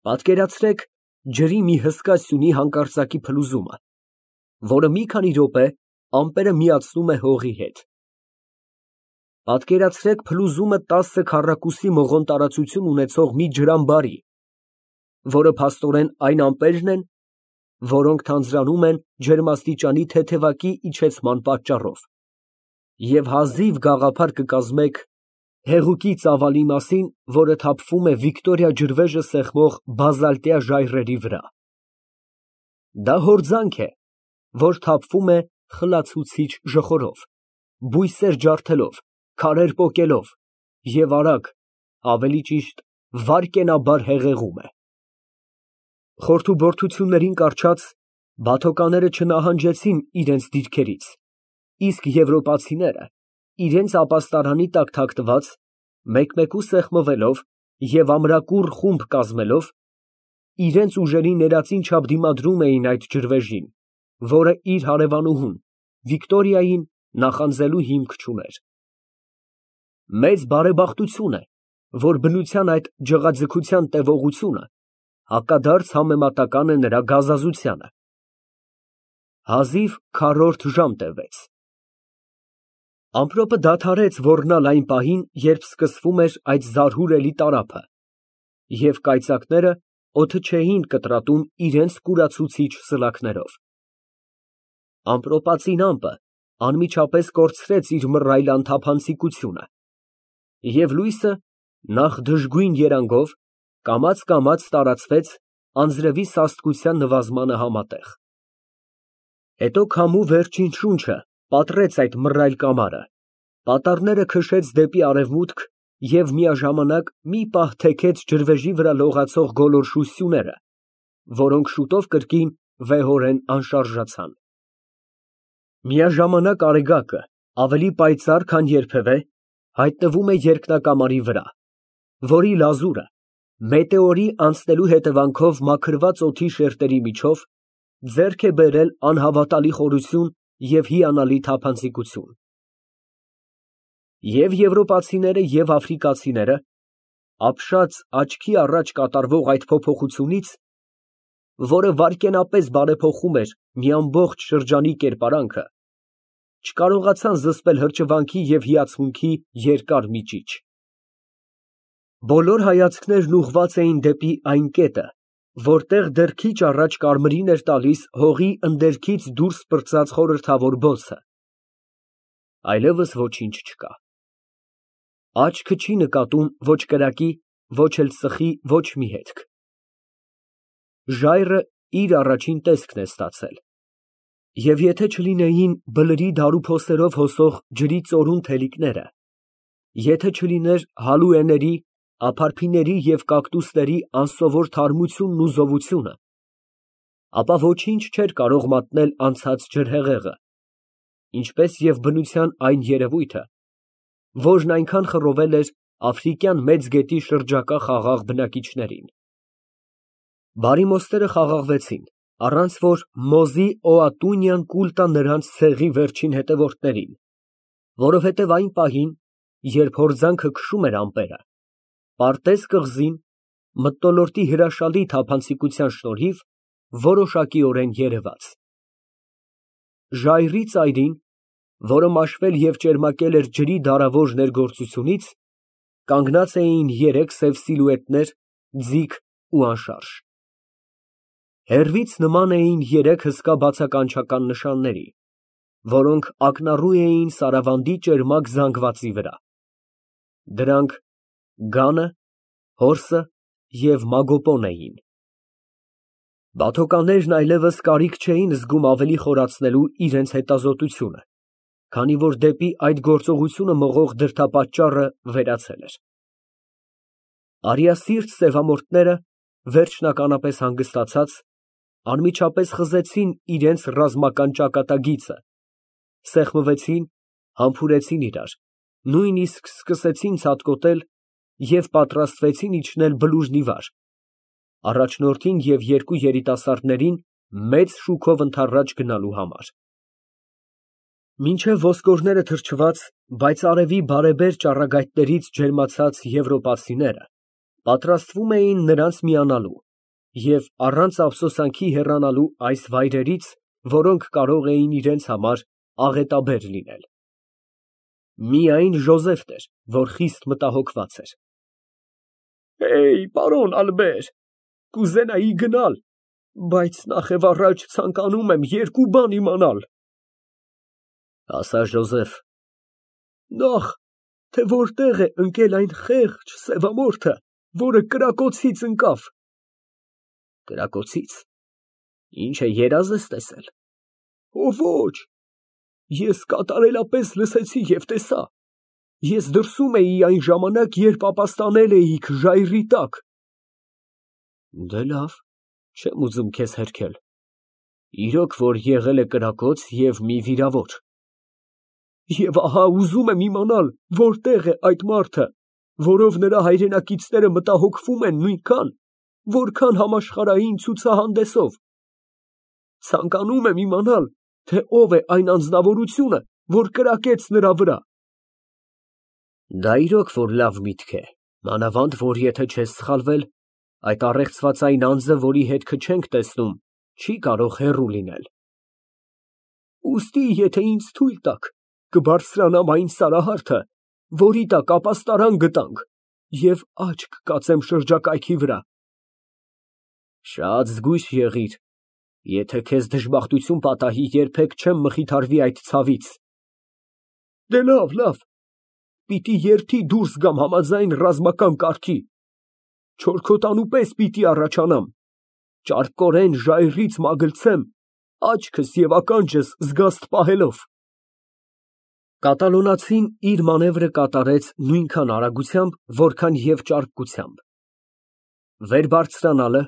Պատկերացրեք ջրի մի հսկա սյունի հանկարծակի փլուզումը, որը մի քանի րոպե ամպերը միացնում է հողի հետ։ Պատկերացրեք փլուզումը 10 քառակուսի մղոն տարածություն ունեցող մի ջրամբարի, որը փաստորեն այն ամպերն են, որոնք թանձրանում են ջերմաստիճանի թեթևակի իջեցման պատճառով, և հազիվ գաղափար կկազմեք հեղուկի ծավալի մասին, որը թափվում է Վիկտորիա ջրվեժը սեղմող բազալտյա ժայռերի վրա։ Դա հորձանք է, որ թափվում է խլացուցիչ ժխորով, բույսեր ջարդելով, քարեր պոկելով և արագ, ավելի ճիշտ վայրկենաբար հեղեղում է։ Խորթուբորթություններին կառչած, բաթոկաները չնահանջեցին իրենց դիրքերից, իսկ եվրոպացիները, իրենց ապաստարանի տակ թաքնված, մեկմեկու սեղմվելով և ամրակուռ խումբ կազմելով, իրենց ուժերի ներածին չափ դիմադրում էին այդ ջրվեժին, որը իր հարևանուհուն Վիկտորիային նախանձելու հիմք չուներ։ Մեծ բարեբախտություն է, որ բնության այդ ջղաձգության տևողությունը հակադարձ համեմատական է նրա գազազությանը։ Հազիվ քառորդ ժամ տևեց։ Ամպրոպը դադարեց ոռնալ այն պահին, երբ սկսվում էր այդ զարհուրելի տարափը, և կայծակները օդը չէին կտրատում իրենց կուրացուցիչ սլաքներով։ Ամպրոպածին ամպը անմիջապես կորցրեց իր մռայլ անթափանցիկությունը, և լույսը, նախ դժգույն երանգով, կամաց տարածվեց անձրևի սաստկության նվազմանը համատեղ։ Հետո քամու վերջին շունչը պատռեց այդ մռայլ կամարը, պատառները քշեց դեպի արևմուտք և միաժամանակ մի պահ թեքեց ջրվեժի վրա լողացող գոլորշու սյուները, որոնք շուտով կրկին վեհորեն անշարժացան։ Միաժամանակ արեգակը, ավելի պայծառ, քան երբևէ, հայտնվում է երկնակամարի վրա, որի լազուրը, մետեորի անցնելու հետևանքով մաքրված օդի շերտերի միջով, ձեռք է բերել անհավատալի խորություն և հիանալի թափանցիկություն։ Եվ եվրոպացիները, և աֆրիկացիները, ապշած աչքի առաջ կատարվող այդ փոփոխությունից, որը վայրկենապես բարեփոխում էր մի ամբողջ շրջանի կերպարանքը, չկարողացան զսպել հրճվանքի և հիացմունքի երկար միջիչ։ Բոլոր հայացքներն ուղղված էին դեպի այն կետը, որտեղ դեռ քիչ առաջ կարմիրին էր տալիս հողի ընդերքից դուրս պրծած խորհրդավոր բոցը։ Այլևս ոչինչ չկա։ Աչքը չի նկատում ոչ կրակի, ոչ էլ ծխի ոչ մի հետք։ Ժայռը իր առաջին տեսքն է ստացել, և եթե չլինեին բլրի դարուփոսերով հոսող ջրի ծորուն թելիկները, եթե չլիներ հալուէների, ափարփիների և կակտուսների անսովոր թարմությունն ու զովությունը, ապա ոչինչ չէր կարող մատնել անցած ջրհեղեղը, ինչպես և բնության այն երևույթը, որն այնքան խռովել էր Աֆրիկյան Մեծ գետի շրջակա խաղաղ բնակիչներին։ Բարիմոստերը խաղաղվեցին, առանց որ Մոզի Օատունյան կուլ տա նրանց ցեղի վերջին հետևորդներին, որովհետև այն պահին, երբ հորձանքը քշում էր ամպերը, պարտեց կղզին, մթնոլորտի հրաշալի թափանցիկության շնորհիվ, որոշակիորեն երևաց։ Ժայռի ծայրին, որը մաշվել և ճերմակել էր ջրի դարավոր ներգործությունից, կանգնած էին երեք սև սիլուետներ, ձիգ ու անշարժ։ Հեռվից նման էին երեք հսկա բացականչական նշանների, որոնք ակնառու էին Սարավանդի ճերմակ զանգվածի վրա։ Դրանք Գանը, Հորսը և Մագոպոն էին։ Բաթոկաններն այլևս կարիք չէին զգում ավելի խորացնելու իրենց հետազոտությունը, քանի որ դեպի այդ գործողությունը մղող դրդապատճառը վերացել էր։ Արիասիրտ սևամորթները, վերջնականապես հանգստացած, անմիջապես խզեցին իրենց ռազմական ճակատագիծը, սեղմվեցին, համբուրեցին իրար, նույնիսկ սկսեցին ցատկոտել և պատրաստվեցին իջնել բլուրն ի վար, առաջնորդին և երկու երիտասարդներին մեծ շուքով ընդառաջ գնալու համար։ Մինչև ոսկորները թրջված, բայց արևի բարեբեր ճառագայթներից ջերմացած եվրոպացիները պատրաստվում էին նրանց միանալու, և առանց ափսոսանքի հեռանալու այս վայրերից, որոնք կարող էին իրենց համար աղետաբեր լինել։ Միայն Ժոզեֆն էր, որ խիստ մտահոգված էր։ Պարոն Ալբեր, կուզենայի գնալ, բայց նախևառաջ ցանկանում եմ երկու բան իմանալ։ Ասա, Ժոզեֆ։ Նախ, թե որտեղ է ընկել այն խեղճ սևամորթը, որը կրակոցից ընկավ։ Կրակոցից։ Ինչ է, երազ ես տեսել։ Ոչ, ես կատարելապես լսեցի և տեսա։ Ես դրսում էի այն ժամանակ, երբ ապաստանել էիք ժայռի տակ։ Դե լավ, չեմ ուզում քեզ հերքել։ Իրոք որ եղել է կրակոց և մի վիրավոր։ Եվ ահա ուզում եմ իմանալ, որտեղ է այդ մարդը, որով նրա հայրենակիցները մտահոգվում են նույնքան, որքան համաշխարհային ցուցահանդեսով։ Ցանկանում եմ իմանալ, թե ով է այն անձնավորությունը, որ կրակեց նրա վրա։ Դա իրոք որ լավ միտք է, մանավանդ որ եթե չես սխալվել, այդ առեղծվածային անձը, որի հետքը չենք տեսնում, չի կարող հեռու լինել։ Ուստի, եթե ինձ թույլ տաք, կբարձրանամ այն սարահարթը, որի տակ ապաստարան գտանք, և աչք կկացեմ շրջակայքի վրա։ Շատ զգույշ եղիր, եթե քեզ դժբախտություն պատահի, երբեք չեմ մխիթարվի այդ ցավից։ Դե լավ, պիտի երթի դուրս գամ համաձայն ռազմական կարգի, չորքոտանու պես պիտի առաջանամ, ճարպկորեն ժայռից մագլցեմ, աչքս և ականջս զգաստ պահելով։ Կատալոնացին իր մանևրը կատարեց նույնքան արագությամբ, որքան և ճարպկությամբ։ Վեր բարձրանալը,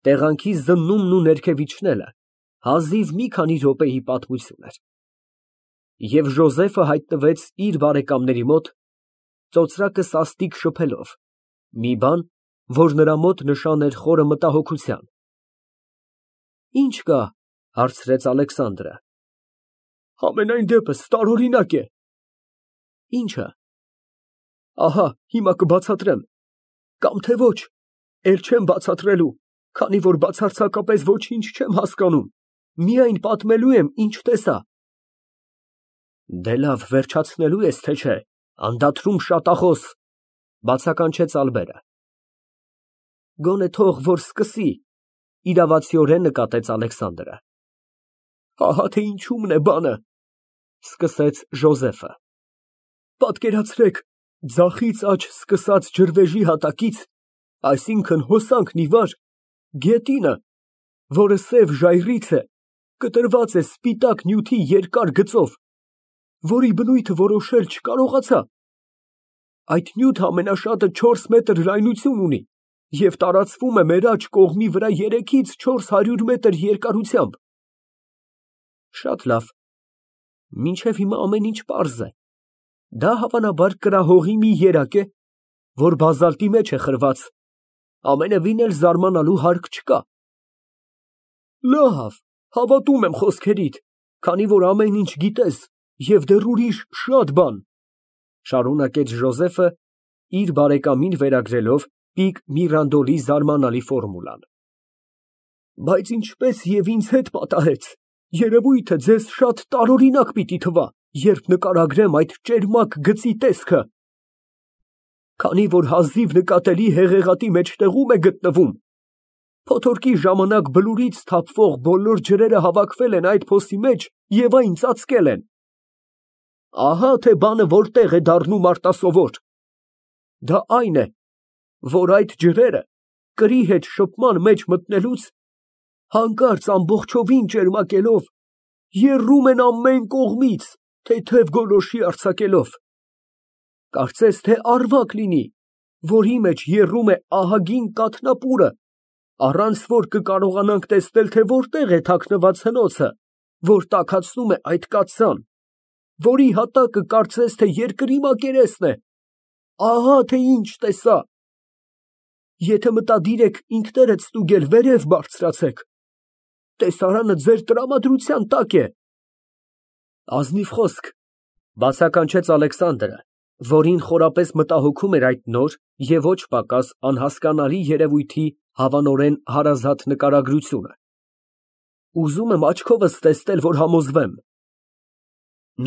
տեղանքի զննումն ու ներքև իջնելը հազիվ մի քանի րոպեի պատմություն էր։ Եվ Ժոզեֆը հայտնվեց իր բարեկամների մոտ, ծոծրակը սաստիկ շփելով, մի բան, որ նրա մոտ նշան էր խորը մտահոգության։ Ինչ կա, հարցրեց Ալեքսանդրը։ Համենայն դեպս տարօրինակ է։ Ինչը։ Ահա, հիմա կբացատրեմ, կամ թե ոչ, էլ չեմ բացատրելու, քանի որ բացարձակապես ոչինչ չեմ հասկանում, միայն պատմելու եմ, ինչ տեսա։ Դե լավ, վերջացնելու ես, թե չէ, անդադրում շատախոս, բացականչեց Ալբերը։ Գոնե թող որ սկսի, իրավացիորեն նկատեց Ալեքսանդրը։ Ահա թե ինչումն է բանը, սկսեց Ժոզեֆը։ Պատկերացրեք, ձախից աջ սկսած ջրվեժի հատակից, այսինքն հոսանքն ի վար, գետինը, որը սև ժայռից է, կտրված է սպիտակ նյութի երկար գծով, որի բնույթը որոշել չկարողացա։ Այդ նյութը ամենաշատը 4 մետր լայնություն ունի և տարածվում է մեր աջ կողմի վրա 3-ից 400 մետր երկարությամբ։ Շատ լավ, մինչև հիմա ամեն ինչ պարզ է։ Դա հավանաբար կրահողի մի երակ է, որ բազալտի մեջ է խրված, ամենևին էլ զարմանալու հարկ չկա։ Լավ, հավատում եմ խոսքերիդ, քանի որ ամեն ինչ գիտես և դեռ ուրիշ շատ բան, շարունակեց Ժոզեֆը, իր բարեկամին վերագրելով պիկ Միրանդոլի զարմանալի ֆորմուլան։ Բայց ինչպես և ինձ հետ պատահեց, երևույթը ձեզ շատ տարօրինակ պիտի թվա, երբ նկարագրեմ այդ ճերմակ գծի տեսքը, քանի որ հազիվ նկատելի հեղեղատի մեջտեղում է գտնվում։ Փոթորկի ժամանակ բլուրից թափվող բոլոր ջրերը հավաքվել են այդ փոսի մեջ և այն ծածկել են։ Ահա թե բանը որտեղ է դառնում արտասովոր։ Դա այն է, որ այդ ջրերը կրի հետ շփման մեջ մտնելուց, հանկարծ ամբողջովին ճերմակելով, եռում են ամեն կողմից, թեթև գոլորշի արձակելով։ Կարծես թե առվակ լինի, որի մեջ եռում է ահագին կաթնապուրը, առանց որ կկարողանանք տեսնել, թե որտեղ է թաքնված հնոցը, որ տաքացնում է այդ կաթսան, որի հատակը կարծես թե երկրի մակերեսն է։ Ահա թե ինչ տեսա։ Եթե մտադիր եք ինքներդ ստուգել, վերև բարձրացեք։ Տեսարանը ձեր տրամադրության տակ է։ Ազնիվ խոսք, բացականչեց Ալեքսանդրը, որին խորապես մտահոգում էր այդ նոր և ոչ պակաս անհասկանալի երևույթի հավանորեն հարազատ նկարագրությունը։ Ուզում եմ աչքովս տեսնել, որ համոզվեմ։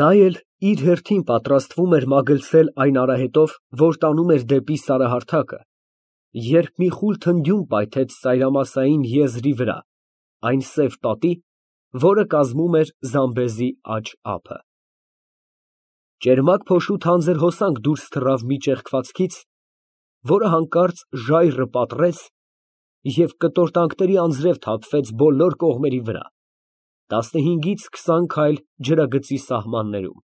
Նա էլ իր հերթին պատրաստվում էր մագլցել այն արահետով, որ տանում էր դեպի սարահարթակը, երբ մի խուլ թնդյուն պայթեց ծայրամասային եզրի վրա, այն սև պատի, որը կազմում էր Զամբեզի աջ ափը։ Ճերմակ փոշու թանձր հոսանք դուրս թռավ մի ճեղքվածքից, որը հանկարծ ժայռը պատռեց և կտորտանքների անձրև թափվեց բոլոր կողմերի վրա, 15-ից 20 քայլ ջրագծի սահմաններում։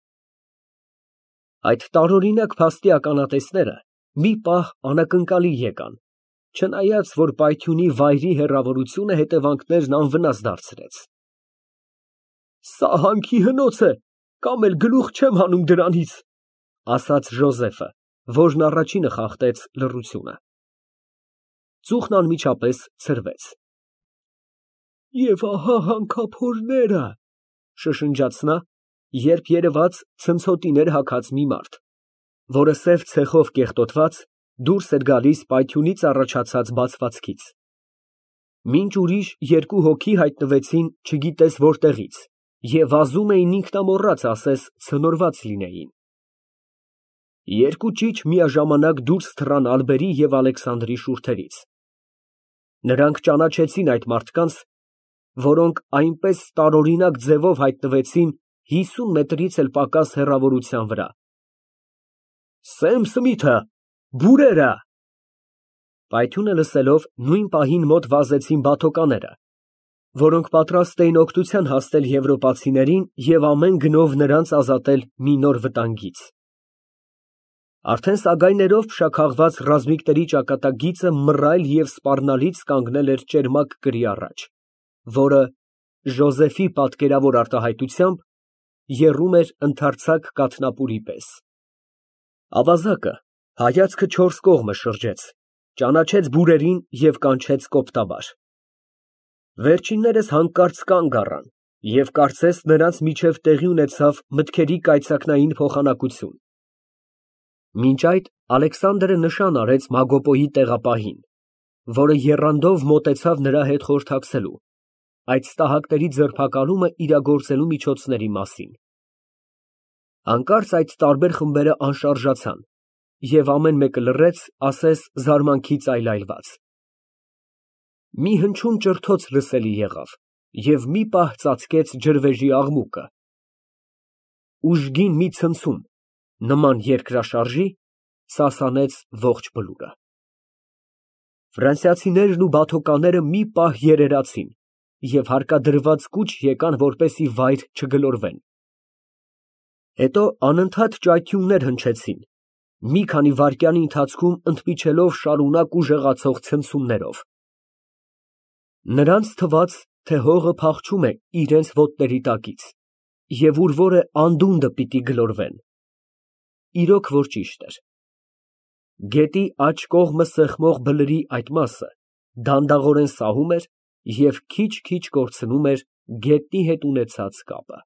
Այդ տարօրինակ փաստի ականատեսները մի պահ անակնկալի եկան, չնայած որ պայթյունի վայրի հեռավորությունը հետևանքներն անվնաս դարձրեց։ «Սա հանքի հնոց է, կամ էլ գլուխ չեմ հանում դրանից», ֊ ասաց Ժոզեֆը, որն առաջինը խախտեց լռությունը։ Ծուխն անմիջապես ցրվեց։ «Եվ ահա հանքափորները», ֊ շշնջաց նա, երբ երևաց ցնցոտիներ հագած մի մարդ, որը սև ցեխով կեղտոտված դուրս էր գալիս պայթյունից առաջացած բացվածքից։ Մինչ ուրիշ երկու հոգի հայտնվեցին չգիտես որտեղից և վազում էին ինքնամոռաց ասես ցնորված լինեին։ Երկու ճիչ միաժամանակ դուրս թռան Ալբերի և Ալեքսանդրի շուրթերից։ Նրանք ճանաչեցին այդ մարդկանց, որոնք այնպես տարօրինակ ձևով հայտնվեցին 50 մետրից էլ պակաս հեռավորության վրա։ «Սեմ Սմիթը, բուրերը»։ Պայթյունը լսելով նույն պահին մոտ վազեցին բաթոկաները, որոնք պատրաստ էին օգնության հասնել եվրոպացիներին և ամեն գնով նրանց ազատել մի նոր վտանգից։ Արդեն սագայներով փշաքաղված ռազմիկների ճակատագիծը մռայլ և սպառնալից կանգնել էր ճերմակ կրի առաջ, որը, Ժոզեֆի պատկերավոր արտահայտությամբ, եռում էր ընդարձակ կաթնապուրի պես։ Ավազակը հայացքը չորս կողմը շրջեց, ճանաչեց բուրերին և կանչեց կոպտաբար։ Վերջիններս հանկարծ կանգ առան և կարծես նրանց միջև տեղի ունեցավ մտքերի կայծակնային փոխանակություն։ Մինչ այդ Ալեքսանդրը նշան արեց Մագոպոյի տեղապահին, որը եռանդով մոտեցավ նրա հետ խորհրդակցելու այդ ստահակների ձերբակալումը իրագործելու միջոցների մասին։ Հանկարծ այդ տարբեր խմբերը անշարժացան, և ամեն մեկը լռեց, ասես զարմանքից այլայլված։ Մի հնչյուն ճրթոց լսելի եղավ, և մի պահ ծածկեց ջրվեժի աղմուկը։ Ուժգին մի ցնցում, նման երկրաշարժի, սասանեց ողջ բլուրը։ Ֆրանսիացիներն ու բաթոկաները մի պահ երերացին և հարկադրված կուչ եկան, որպեսզի վայր չգլորվեն։ Հետո անընդհատ ճայթյուններ հնչեցին, մի քանի վայրկյանի ընթացքում ընդմիջելով շարունակ ուժեղացող ցնցումներով։ Նրանց թվաց, թե հողը փախչում է իրենց ոտների տակից, և ուր որ է անդունդը պիտի գլորվեն։ Իրոք որ ճիշտ էր։ Գետի աջ կողմը սեղմող բլրի այդ մասը դանդաղորեն սահում էր և քիչ֊քիչ կորցնում էր գետնի հետ ունեցած կապը։